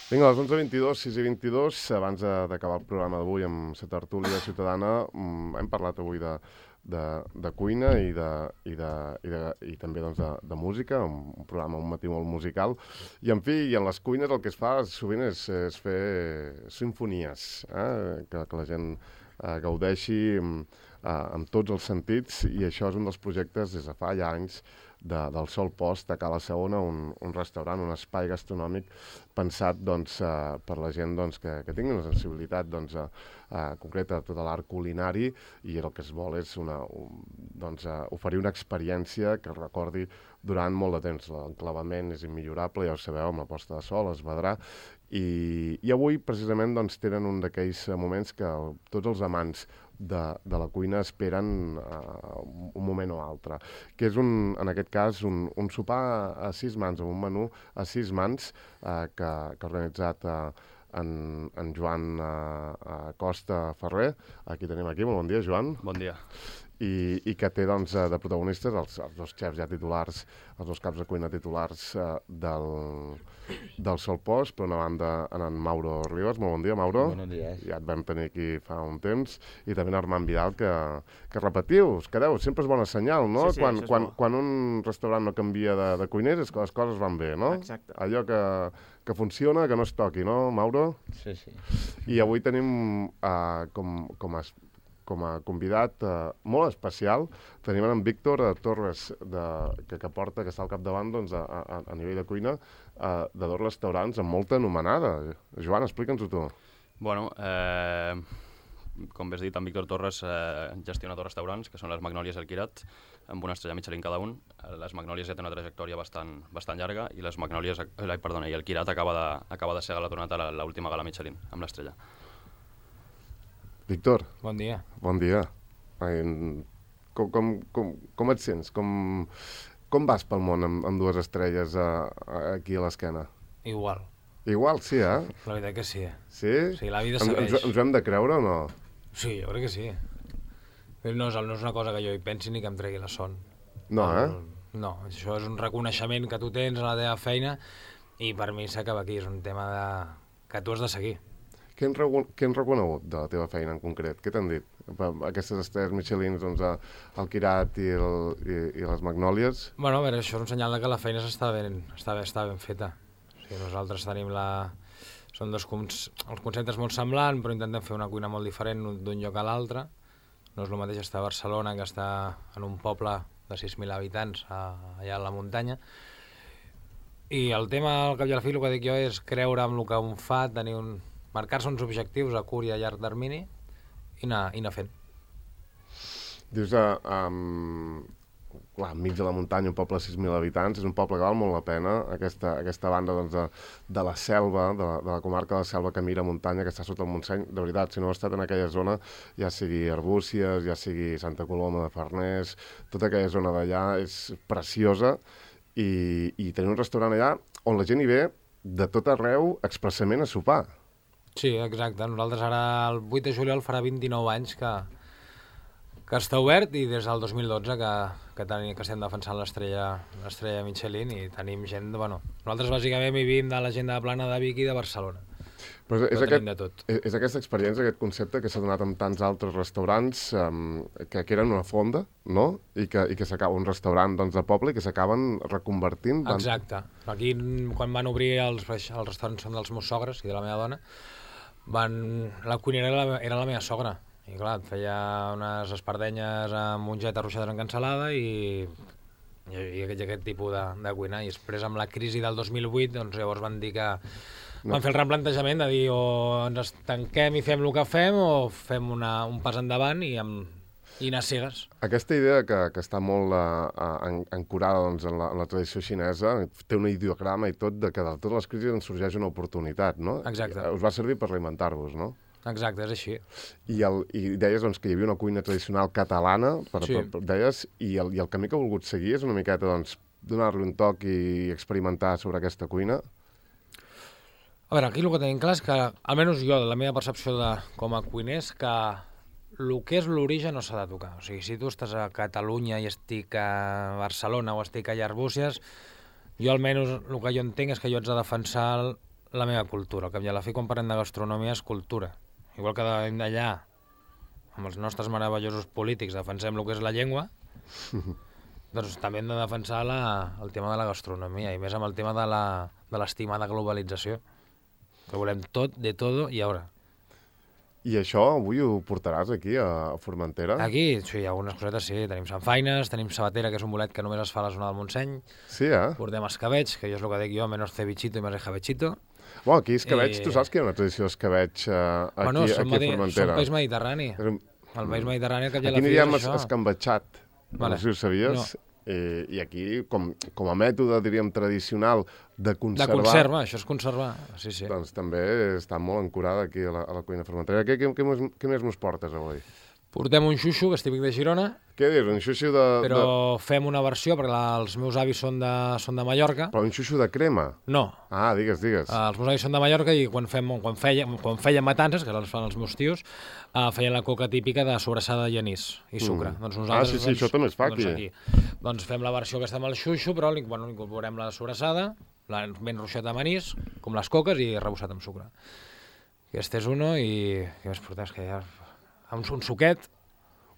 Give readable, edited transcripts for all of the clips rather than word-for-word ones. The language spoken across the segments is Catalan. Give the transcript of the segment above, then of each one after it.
Vinga, a les 11:22, 6:22, abans d'acabar el programa d'avui amb la tertúlia ciutadana, hem parlat avui de cuina i també doncs, de música, un programa, un matí molt musical. I, en fi, en les cuines el que es fa sovint és fer simfonies, que la gent gaudeixi amb tots els sentits, i això és un dels projectes des de fa ja anys del Sol Post a Cala Segona, un restaurant, un espai gastronòmic pensat doncs, per la gent doncs, que tingui una sensibilitat doncs, concreta a tot l'art culinari, i el que es vol és oferir una experiència que recordi durant molt de temps. L'enclavament és immillorable, ja ho sabeu, amb la posta de sol, es vedrà, i avui precisament doncs, tenen un d'aquells moments que tots els amants de la cuina esperen un moment o altre, que és en aquest cas un sopar a 6 mans, amb un menú a 6 mans que ha organitzat en Joan Costa Ferrer. Aquí tenim molt bon dia, Joan. Bon dia. I que té doncs, de protagonistes els dos xefs ja titulars, els dos caps de cuina titulars del Sol Post. Per una banda, en Mauro Rivas. Molt bon dia, Mauro. Bon dia. Ja et vam tenir aquí fa un temps. I també en Armand Vidal, que repetiu, us quedeu. Sempre és bona senyal, no? Sí, quan un restaurant no canvia de cuiners és que les coses van bé, no? Exacte. Allò que funciona, que no es toqui, no, Mauro? Sí. I avui tenim com a convidat molt especial, tenim en Víctor Torres, que està al capdavant doncs, a nivell de cuina de dos restaurants amb molta anomenada. Joan, explica'ns-ho tu. Bueno, com bé has dit, en Víctor Torres gestiona dos restaurants, que són les Magnòlies i el Quirat, amb una estrella Michelin cada un. Les Magnòlies ja té una trajectòria bastant llarga, i les Magnòlies, i el Quirat acaba de ser galardonat a l'última gala Michelin, amb l'estrella. Víctor. Bon dia. Bon dia. Com et sents? Com vas pel món amb dues estrelles aquí a l'esquena? Igual, sí, eh? la veritat que sí. Sí? Sí, la vida segueix. Ens ho hem de creure o no? Sí, jo crec que sí. No és una cosa que jo hi pensi ni que em tregui la son. No, No, això és un reconeixement que tu tens a la teva feina, i per mi s'acaba aquí. És un tema que tu has de seguir. Què han reconegut de la teva feina en concret? Què t'han dit? Aquestes estrelles Michelin, doncs, el Quirat i les Magnòlies? Bueno, a veure, això és un senyal que la feina està ben feta. O sigui, nosaltres tenim són els conceptes molt semblants, però intentem fer una cuina molt diferent d'un lloc a l'altre. No és el mateix estar a Barcelona que estar en un poble de 6.000 habitants allà a la muntanya. I el tema, al cap i a la fi, el que dic jo és creure en el que un fa, marcar-se uns objectius a curt i a llarg termini i anar fent. Dius, enmig de la muntanya, un poble de 6.000 habitants, és un poble que val molt la pena, aquesta banda doncs, de la selva, de la comarca de la selva que mira muntanya, que està sota el Montseny. De veritat, si no heu estat en aquella zona, ja sigui Arbúcies, ja sigui Santa Coloma de Farners, tota aquella zona d'allà és preciosa, i tenir un restaurant allà on la gent hi ve de tot arreu expressament a sopar. Sí, exacte. Nosaltres ara, el 8 de juliol, farà 29 anys que està obert, i des del 2012 que estem defensant l'estrella Michelin, i tenim gent... Nosaltres bàsicament vivim de la gent de Plana, de Vic i de Barcelona. Però tenim de tot. És aquesta experiència, aquest concepte que s'ha donat amb tants altres restaurants que eren una fonda, no? I que s'acaba un restaurant doncs, de poble i que s'acaben reconvertint. Exacte. Aquí, quan van obrir els restaurants, són dels meus sogres i de la meva dona, la cuinera era la meva sogra, i clar, et feia unes espardenyes amb mongeta arrossades en cansalada i aquest tipus de cuina. I després, amb la crisi del 2008, doncs llavors van dir que van fer el replantejament de dir o ens tanquem i fem el que fem, o fem un pas endavant i anar cegues. Aquesta idea que està molt ancorada doncs, en la tradició xinesa, té un ideograma i tot, de que de totes les crisis ens sorgeix una oportunitat, no? Exacte. Us va servir per reinventar-vos, no? Exacte, és així. I deies doncs, que hi havia una cuina tradicional catalana, deies, i el camí que heu volgut seguir és una miqueta doncs, donar-li un toc i experimentar sobre aquesta cuina? A veure, aquí el que tenim clar és que, almenys jo, la meva percepció com a cuiner, és que el que és l'origen no s'ha de tocar. O sigui, si tu estàs a Catalunya i estic a Barcelona o estic a Arbúcies, jo almenys el que jo entenc és que jo haig de defensar la meva cultura. Al cap i a la fi, quan parlem de gastronomia, és cultura. Igual que d'allà, amb els nostres meravellosos polítics, defensem el que és la llengua, doncs també hem de defensar el tema de la gastronomia, i més amb el tema de l'estimada globalització, que volem tot, de todo i ara. I això avui ho portaràs aquí, a Formentera? Aquí, sí, algunes cosetes sí. Tenim sanfaines, tenim sabatera, que és un bolet que només es fa a la zona del Montseny. Sí, Portem escabeig, que jo és el que dic jo, menos cevichito i més escabechito. Bueno, aquí escabeig, tu saps que hi ha una tradició d'escabeig aquí a Formentera? Som país mediterrani. El país mediterrani, que ja la fi és això. Aquí aniríem escambatxat, no sé si ho sabies. No. I aquí, com a mètode, diríem, tradicional de conservar... De conserva, això és conservar, sí. Doncs també està molt ancorada aquí a la cuina formentera. Què més mos portes avui? Portem un xuxo, que és típic de Girona. Què dius, un xuxo de... Però fem una versió, perquè els meus avis són de Mallorca. Però un xuxo de crema? No. Ah, digues. Els meus avis són de Mallorca i quan feien matances, que les fan els meus tios, feien la coca típica de sobrassada i anís i sucre. Doncs nosaltres, sí, això també es fa aquí. Doncs fem la versió aquesta amb el xuxo, però incorporem la sobrassada, ben ruixat amb anís, com les coques, i rebossat amb sucre. Aquest és uno, i què més portem? Que ja... Un suquet.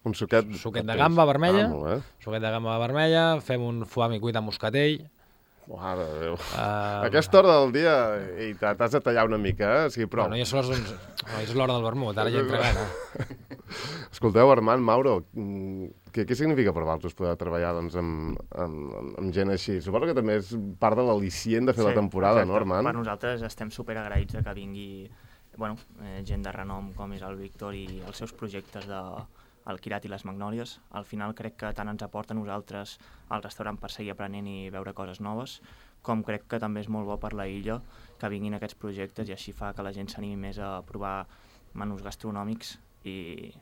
Un suquet de gamba vermella. Suquet de gamba vermella. Fem un foie cuit amb moscatell. Mare de Déu. A aquesta hora del dia t'has de tallar una mica, sí, prou. Bueno, ja són les 11. És l'hora del vermut, ara ja entra gana. Escolteu, Armand, Mauro, què significa per vosaltres poder treballar amb gent així? Suposo que també és part de l'al·licient de fer la temporada, no, Armand? Per nosaltres estem superagraïts de que vingui gent de renom com és el Víctor i els seus projectes del Quirat i les Magnòlies. Al final crec que tant ens aporta a nosaltres al restaurant per seguir aprenent i veure coses noves, com crec que també és molt bo per la illa que vinguin aquests projectes, i així fa que la gent s'animi més a provar menús gastronòmics i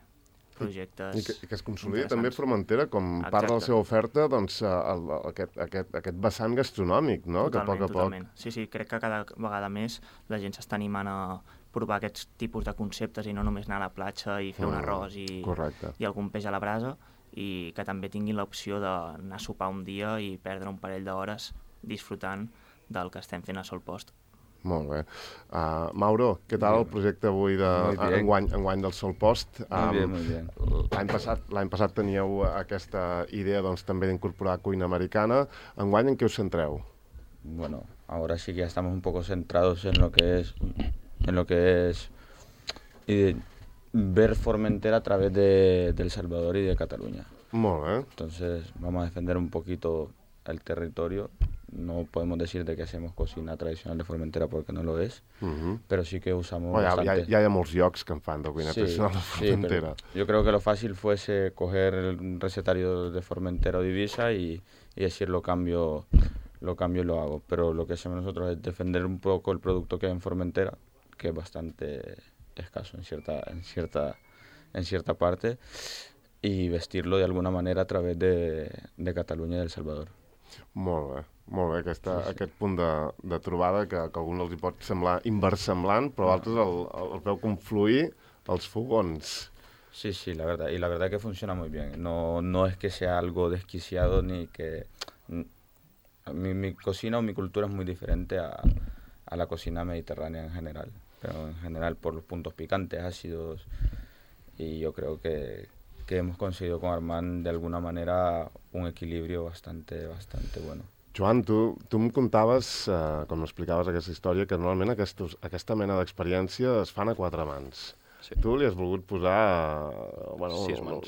projectes I que es consolidi també Formentera com part de la seva oferta, doncs, aquest vessant gastronòmic, no? Totalment. Sí, crec que cada vegada més la gent s'està animant a provar aquests tipus de conceptes i no només anar a la platja i fer un arròs i algun peix a la brasa, i que també tinguin l'opció d'anar a sopar un dia i perdre un parell d'hores disfrutant del que estem fent a Sol Post. Molt bé. Mauro, què tal el projecte avui enguany del Sol Post? Muy bien. L'any passat teníeu aquesta idea, doncs, també d'incorporar cuina americana. Enguany, en què us centreu? Bueno, ahora sí que ya estamos un poco centrados en lo que es ver Formentera a través de El Salvador y de Cataluña. Molt bé. Entonces vamos a defender un poquito el territorio. No podemos decir de que hacemos cocina tradicional de Formentera porque no lo es, pero sí que usamos bastante... Ya hay molts llocs que en fan de cuina tradicional de Formentera. Yo creo que lo fácil fuese coger el recetario de Formentera o de Ibiza y decir lo cambio y lo hago. Pero lo que hacemos nosotros es defender un poco el producto que hay en Formentera, que es bastante escaso en cierta parte, y vestirlo de alguna manera a través de Catalunya i El Salvador. Molt bé. Aquest punt de trobada que a algun els hi pot semblar inversemblant, però altres el veu confluir els fogons. Sí, la verdad. Y la verdad que funciona muy bien. No es que sea algo desquiciado ni que... Mi cocina o mi cultura es muy diferente a la cocina mediterránea en general. Pero en general por los puntos picantes, ácidos, y yo creo que hemos conseguido con Armand de alguna manera un equilibrio bastante bueno. Joan, tu em contaves, com explicaves aquesta història, que normalment aquesta mena d'experiència es fan a 4 mans. Sí. Tu li has volgut posar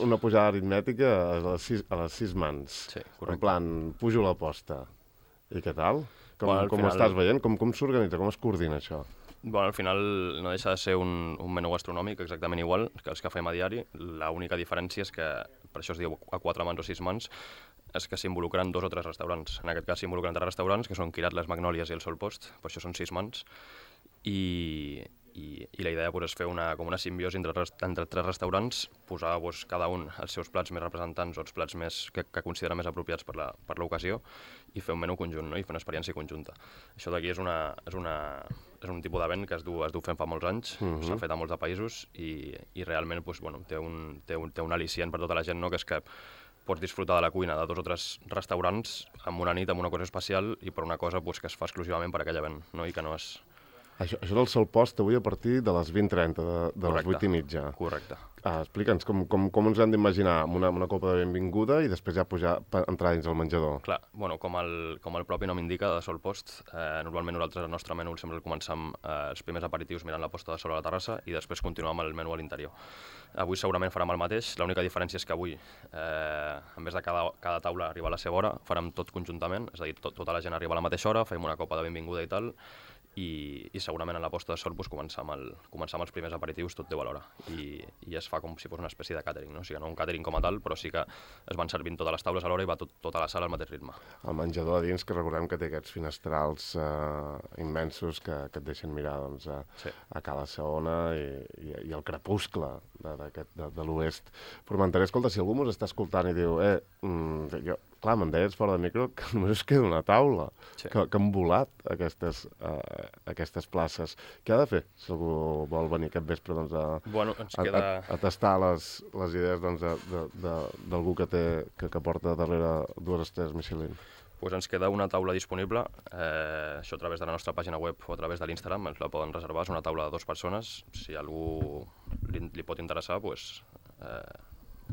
una pujada aritmètica a les 6 mans. Sí, correcte. En plan, pujo la posta. I què tal? Com ho estàs veient? Com s'organitza? Com es coordina això? Al final no deixa de ser un menú gastronòmic exactament igual que els que fem a diari. L'única diferència és que, per això es diu a 4 mans o 6 mans, és que s'involucren 2 o 3 restaurants. En aquest cas s'involucren 3 restaurants, que són Quirat, Les Magnòlies i el Sol Post, per això són 6 mans. I la idea és fer com una simbiosi entre 3 restaurants, posar cada un els seus plats més representants o els plats que considera més apropiats per l'ocasió, i fer un menú conjunt, no? I fer una experiència conjunta. Això d'aquí és un tipus d'event que es du fent fa molts anys, s'ha fet a molts de països, i realment té un al·licient per tota la gent, no? Que és que pots disfrutar de la cuina de 2 o 3 restaurants amb una nit, amb una cosa especial, i per una cosa que es fa exclusivament per aquell event, no? I que no és Això del sol post avui a partir de les 20:30, de les 8:30. Correcte. Explica'ns com ens hem d'imaginar una copa de benvinguda i després ja entrar dins el menjador. Clar, bueno, com el propi nom indica, de sol post, normalment nosaltres el nostre menú sempre el comencem els primers aperitius mirant la posta de sol a la terrassa i després continuem amb el menú a l'interior. Avui segurament farem el mateix, l'única diferència és que avui, en vez de cada taula arribar a la seva hora, farem tot conjuntament, és a dir, tota la gent arriba a la mateixa hora, fem una copa de benvinguda i tal, i segurament en la posta de sol començar amb els primers aperitius tot deu a l'hora i es fa com si fos una espècie de càtering, no? O sigui, no un càtering com a tal, però sí que es van servint totes les taules a l'hora i va tota la sala al mateix ritme. El menjador a dins, que recordem que té aquests finestrals immensos que et deixen mirar a Cala Saona i el crepuscle de l'oest formenterè. Escolta, si algú mos està escoltant i diu clar, me'n deies fora de micro que només us queda una taula, que han volat aquestes places. Què ha de fer si algú vol venir aquest vespre a tastar les idees d'algú que porta darrere 2 estrelles Michelin? Pues ens queda una taula disponible, això a través de la nostra pàgina web o a través de l'Instagram, ens la poden reservar, és una taula de 2 persones, si a algú li pot interessar, pues,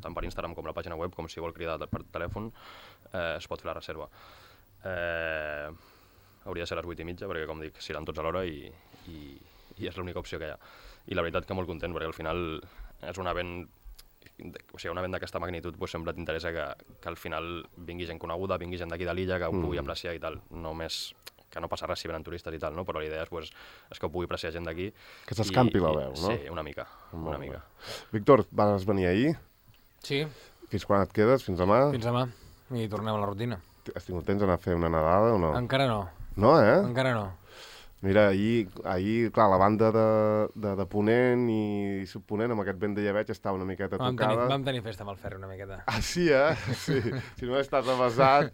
tant per Instagram com la pàgina web, com si vol cridar per telèfon, es pot fer la reserva. Hauria de ser a les 8:30, perquè com dic, seran tots a l'hora i és l'única opció que hi ha. I la veritat que molt content, perquè al final és un event, o sigui, un event d'aquesta magnitud sempre t'interessa que al final vingui gent coneguda, vingui gent d'aquí de l'illa, que ho pugui apreciar i tal, només que no passa res si venen turistes i tal, no? Però la idea és que ho pugui apreciar gent d'aquí. Que s'escampi la veu, no? Sí, una mica. Víctor, vas venir ahir? Sí. Fins quan et quedes? Fins demà? Fins demà. I tornem a la rutina. Has tingut temps d'anar a fer una nedada o no? Encara no. No, Encara no. Mira, ahir, clar, la banda de Ponent i Subponent, amb aquest vent de llebeig, estava una miqueta tocada. Vam tenir festa amb el Ferri una miqueta. Ah, sí, Sí. Si no estàs avasat...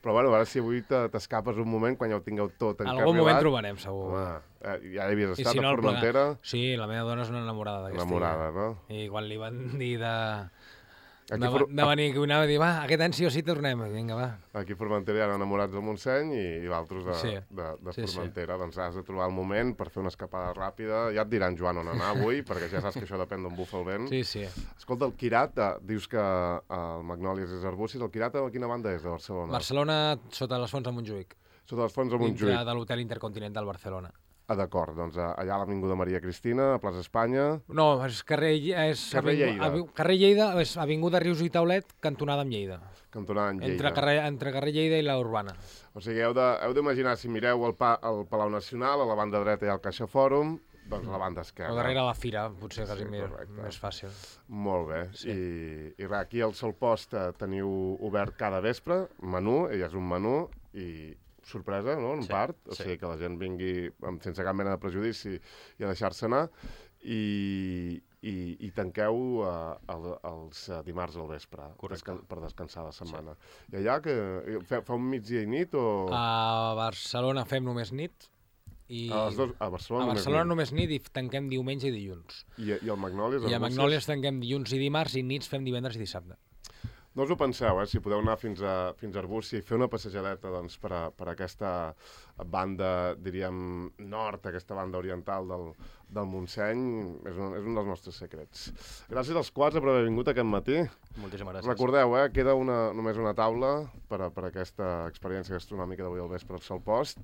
Però, bueno, a veure si avui t'escapes un moment quan ja ho tingueu tot encarrilat. Algun moment trobarem, segur. Ja hi havies estat a Formentera? Sí, la meva dona és una enamorada d'aquesta. Enamorada, no? I quan li van dir de venir que anava a dir, va, aquest any sí o sí tornem. Vinga, va. Aquí a Formentera hi ha enamorats del Montseny i d'altres de Formentera. Doncs has de trobar el moment per fer una escapada ràpida. Ja et diran, Joan, on anar avui, perquè ja saps que això depèn d'on bufa el vent. Sí. Escolta, el Quirat, dius que el Magnòlies és Arbúcies. El Quirat, a quina banda és de Barcelona? Barcelona, sota les fonts de Montjuïc. Sota les fonts de Montjuïc. Dintre de l'Hotel Intercontinental Barcelona. D'acord, doncs allà a l'Avinguda Maria Cristina, a Plaça Espanya... No, és carrer Lleida. Carrer Lleida, és Avinguda Rius i Taulet, cantonada amb Lleida. Cantonada amb Lleida. Entre carrer Lleida i la Urbana. O sigui, heu d'imaginar, si mireu el Palau Nacional, a la banda dreta hi ha el Caixa Fòrum, doncs a la banda esquerra. O darrere la fira, potser quasi més fàcil. Molt bé. Sí. I res, aquí al Sol Post teniu obert cada vespre, menú, ell és un menú, i sorpresa, no?, en part, o sigui, que la gent vingui sense cap mena de prejudici i a deixar-se anar, i tanqueu els dimarts al vespre per descansar la setmana. I allà, que fa un migdia i nit, o...? A Barcelona fem només nit. A Barcelona només nit i tanquem diumenge i dilluns. I el Magnòlies? I a Magnòlies tanquem dilluns i dimarts i nits fem divendres i dissabte. No us ho penseu, si podeu anar fins a Arbúcies i fer una passejadeta per aquesta banda, diríem, nord, aquesta banda oriental del Montseny, és un dels nostres secrets. Gràcies als 4 per haver vingut aquest matí. Moltíssimes gràcies. Recordeu, queda només una taula per aquesta experiència gastronòmica d'avui al vespre al Sol Post.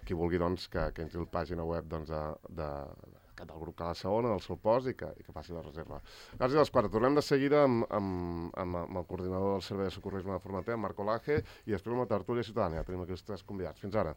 Qui vulgui, doncs, que entri a la pàgina web del grup Cala Saona, del Sol Post, i que faci la reserva. Gràcies als 4. Tornem de seguida amb el coordinador del Servei de Socorrisme de Formentera, Marc Olaje, i després amb la tertúlia ciutadana. Tenim aquí els 3 convidats. Fins ara.